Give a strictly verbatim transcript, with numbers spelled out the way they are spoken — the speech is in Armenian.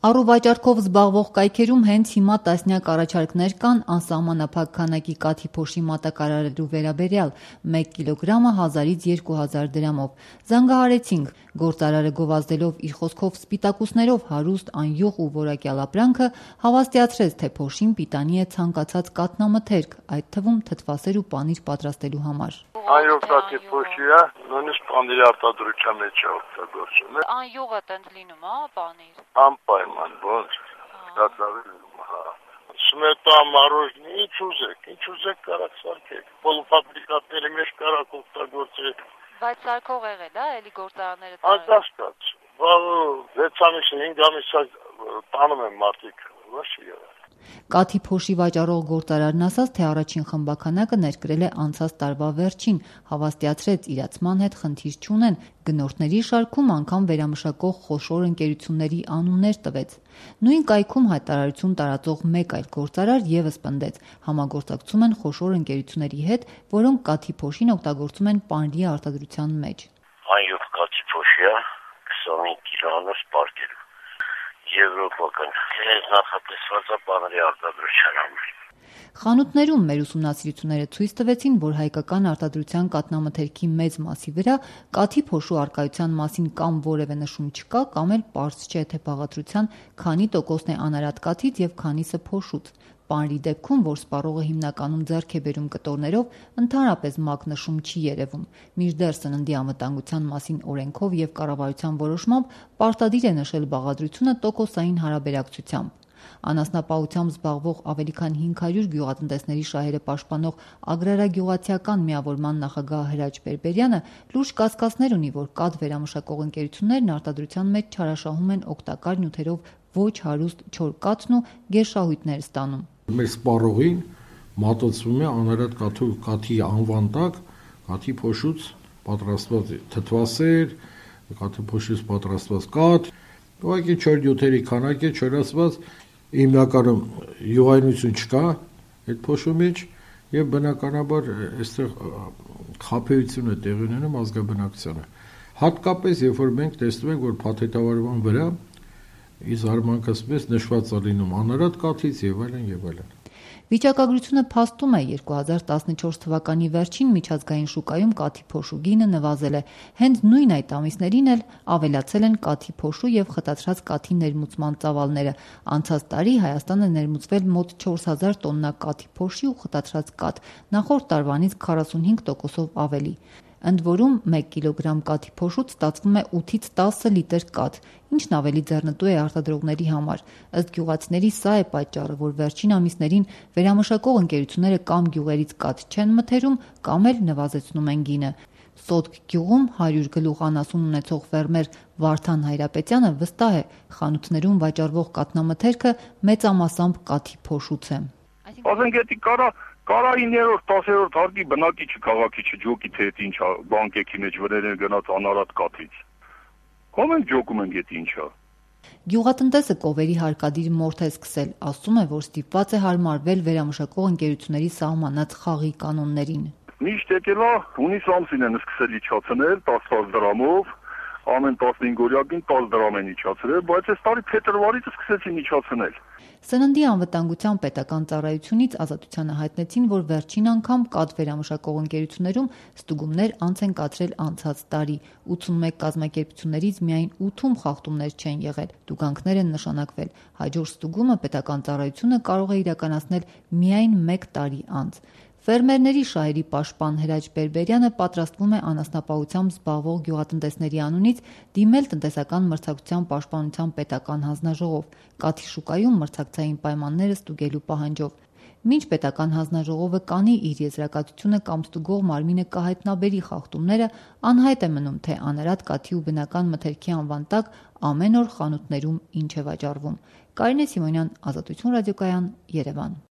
Առուվաճառքով զբաղվող կայքերում հենց հիմա տասնյակ առաջարկներ կան անսահմանափակ քանակի կաթի փոշի մատակարարելու վերաբերյալ՝ մեկ կիլոգրամը հազարից երկու հազար դրամով։ Զանգահարեցինք, գործարարը գովազդելով իր խոսքով սպիտակուցներով հարուստ, անյուղ ու որակյալ ապրանքը, հավաստիացրեց, թե փոշին պիտանի է ցանկացած կաթնամթերք, այդ թվում թթվասեր ու պանիր պատրաստելու համար։ Անյուղ կաթի փոշի է, նույնիսկ պանիրի արտադրության մեջ է օգտագործում։ Անյուղը տենց լինում է, պանիր։ Անպայման, ոնց, դատավելում, հա։ Սմետա, մարոժնի, ինչ ուզեք, ինչ ուզեք կարակ սարքեք, պոլուֆաբրիկատների մեջ կարակ օգտագործեք։ Բայց սարքող եղել է, էլի գործարանները Անկասկած, վեց ամիսին, հինգ ամիս տանում են մարդիկ, ոչ եղել։ Կաթի փոշի վաճառող գործարարն ասաց, թե առաջին խմբաքանակը ներկրել է անցած տարվա վերջին, հավաստիացրեց իրացման հետ խնդիր չունեն, գնորդների շարքում անգամ վերամշակող խոշոր ընկերությունների անուններ տվեց։ Նույն կայքում հայտարարություն տարածող մեկ այլ գործարար ևս պնդեց, համագործակցում են խոշոր ընկերությունների հետ, որոնք կաթի փոշին օգտագործում են պանիրի արտադրության մեջ։ Անյուղ կաթի փոշի է, քսանհինգ կիլոանոց պարկերում։ Եվրոպական նախատեսված է պանիրի արտադրության համար։ Խանութներում մեր ուսումնասիրությունները ցույց տվեցին, որ հայկական արտադրության կաթնամթերքի մեծ մասի վրա կաթի փոշու առկայության մասին կամ որևէ նշում չկա, կամ էլ պարզ չէ, թե բաղադրության քանի տոկոսն է անարատ կաթից եւ քանիսը փոշուց։ Պանիրի դեպքում, որ սպառողը հիմնականում ձեռք է բերում կտորներով, ընդհանրապես մակնշում չի երևում։ Մինչդեռ սննդի անվտանգության մասին օրենքով եւ կառավարության որոշմամբ պարտադիր է նշել բաղադրությունը տոկոսային հարաբերակցությամբ։ Անասնապահությամբ զբաղվող ավելի քան հինգ հարյուր գյուղատնտեսների շահերը պաշտպանող Ագրարագյուղացիական միավորման նախագահ Հրաչ Բերբերյանը լուրջ կասկածներ ունի, որ կաթ վերամշակող ընկերություններն արտադրության մեջ չարաշահում են օգտակար նյութերով ոչ հարուստ չոր կաթն ու գերշահույթներ ստանում։ Մեր սպառողին մատուցվում է անարատ կաթու կաթի անվան տակ կաթի փոշուց պատրաստված թթվասեր, կաթի փոշուց պատրաստված կաթ, ուղղակի չոր նյութերի քանակ է չորացված, հիմնականում յուղայնություն չկա այդ փոշու մեջ եւ բնականաբար այստեղ խաբեություն է տեղի ունենում ազգաբնակությանը։ Հատկապես երբ որ մենք տեսնում ենք, որ փաթեթավորման վրա ի զարմանքս մեծ նշված է լինում անարատ կաթից եւ այլն եւ այլն։ Վիճակագրությունը փաստում է երկու հազար տասնչորս թվականի վերջին միջազգային շուկայում կաթի փոշու գինը նվազել է։ Հենց նույն այդ ամիսներին էլ ավելացել են կաթի փոշու եւ խտացրած կաթի ներմուծման ծավալները։ Անցած տարի Հայաստանը ներմուծվել մոտ չորս հազար տոննա կաթի փոշի ու խտացրած կաթ, նախորդ տարվանից քառասունհինգ տոկոսով ավելի։ Ընդ որում մեկ կիլոգրամ կաթի փոշուց ստացվում է ութից տասը լիտր կաթ, ինչն ավելի ձեռնտու է արտադրողների համար։ Ըստ գյուղացիների սա է պատճառը, որ վերջին ամիսներին վերամշակող ընկերությունները կամ գյուղերից կաթ չեն մթերում, կամ էլ նվազեցնում են գինը։ Սոտք գյուղում հարյուր գլուխ անասուն ունեցող ֆերմեր Վարդան Հայրապետյանը վստահ է, խանութներում վաճառվող կաթնամթերքը մեծամասամբ կաթի փոշուց է։ Ասենք կարա Կարայիներորդ, տասերորդ հարկի բնակիչը քաղաքի չջոկի, թե այդ ինչա բանկեքի մեջ վրերեն գնաց անարատ կաթից։ Կամ ենք ջոկում ենք այդ ինչա։ Գյուղատնտեսը կովերի հարկադիր մորթ է սկսել, ասում է, որ ստիպված է հարմարվել վերամշակող ընկերությունների սահմանած խաղի կանոններին։ Միշտ եկել է, հունիս ամսին են սկսել իջացնել տասը դրամով, ամեն տասնհինգ օրյակին տասը դրամ են իջացրել, բայց այս տարի փետրվարից սկսեցին իջացնել։ Սննդի անվտանգության պետական ծառայությունից Ազատությանը հայտնեցին, որ վերջին անգամ կաթ վերամշակող ընկերություններում ստուգումներ անց են կացրել անցած տարի։ ութսունմեկ կազմակերպություններից միայն ութում խախտումներ չեն եղել, տուգանքներ են նշանակվել։ Հաջորդ ստուգումը պետական ծառայությունը կարող է իրականացնել միայն մեկ տարի անց։ Ֆերմերների շահերի պաշտպան Հրաչ Բերբերյանը պատրաստվում է անասնապահությամբ զբաղվող գյուղատնտեսների անունից դիմել տնտեսական մրցակցության պաշտպանության պետական հանձնաժողով, կաթի շուկայում մրցակցային պայմանները ստուգելու պահանջով։ Մինչ պետական հանձնաժողովը կանի իր եզրակացությունը կամ ստուգող մարմինը կհայտնաբերի խախտումները, անհայտ է մնում, թե անարատ կաթի ու բնական մթերքի անվան տակ ամեն օր խանութներում ինչ է վաճառվում։ Կարինե Սիմոնյան, Ազատություն ռադիոկայան, Երևան։